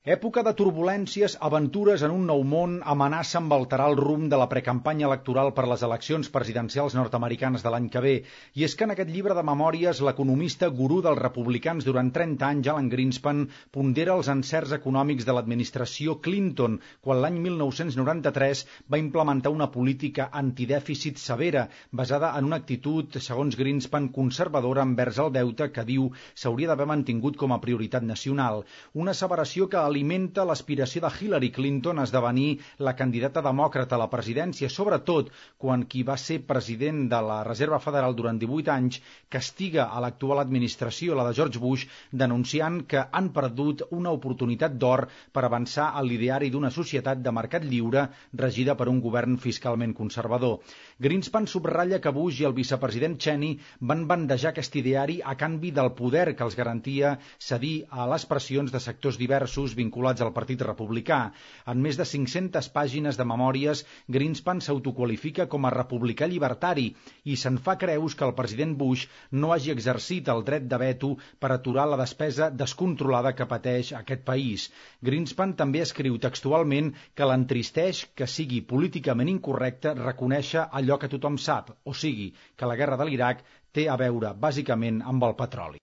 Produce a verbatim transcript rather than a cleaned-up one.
Època de turbulències, aventures en un nou món, amenaça amb alterar el rumb de la precampanya electoral per les eleccions presidencials nord-americanes de l'any que ve. I és que en aquest llibre de memòries, l'economista gurú dels republicans durant trenta anys, Alan Greenspan, pondera els encerts econòmics de l'administració Clinton, quan l'any mil nou-cents noranta-tres va implementar una política antidèficit severa, basada en una actitud, segons Greenspan, conservadora envers el deute que diu s'hauria d'haver mantingut com a prioritat nacional. Una asseveració que alimenta l'aspiració de Hillary Clinton a esdevenir la candidata demòcrata a la presidència, sobretot quan qui va ser president de la Reserva Federal durant divuit anys castiga a l'actual administració, la de George Bush, denunciant que han perdut una oportunitat d'or per avançar al l'ideari d'una societat de mercat lliure regida per un govern fiscalment conservador. Greenspan subratlla que Bush i el vicepresident Cheney van bandejar aquest ideari a canvi del poder que els garantia cedir a les pressions de sectors diversos vinculats al Partit Republicà. En més de cinc-centes pàgines de memòries, Greenspan s'autoqualifica com a republicà llibertari i se'n fa creus que el president Bush no hagi exercit el dret de veto per aturar la despesa descontrolada que pateix aquest país. Greenspan també escriu textualment que l'entristeix que sigui políticament incorrecte reconèixer allò que tothom sap, o sigui, que la guerra de l'Iraq té a veure bàsicament amb el petroli.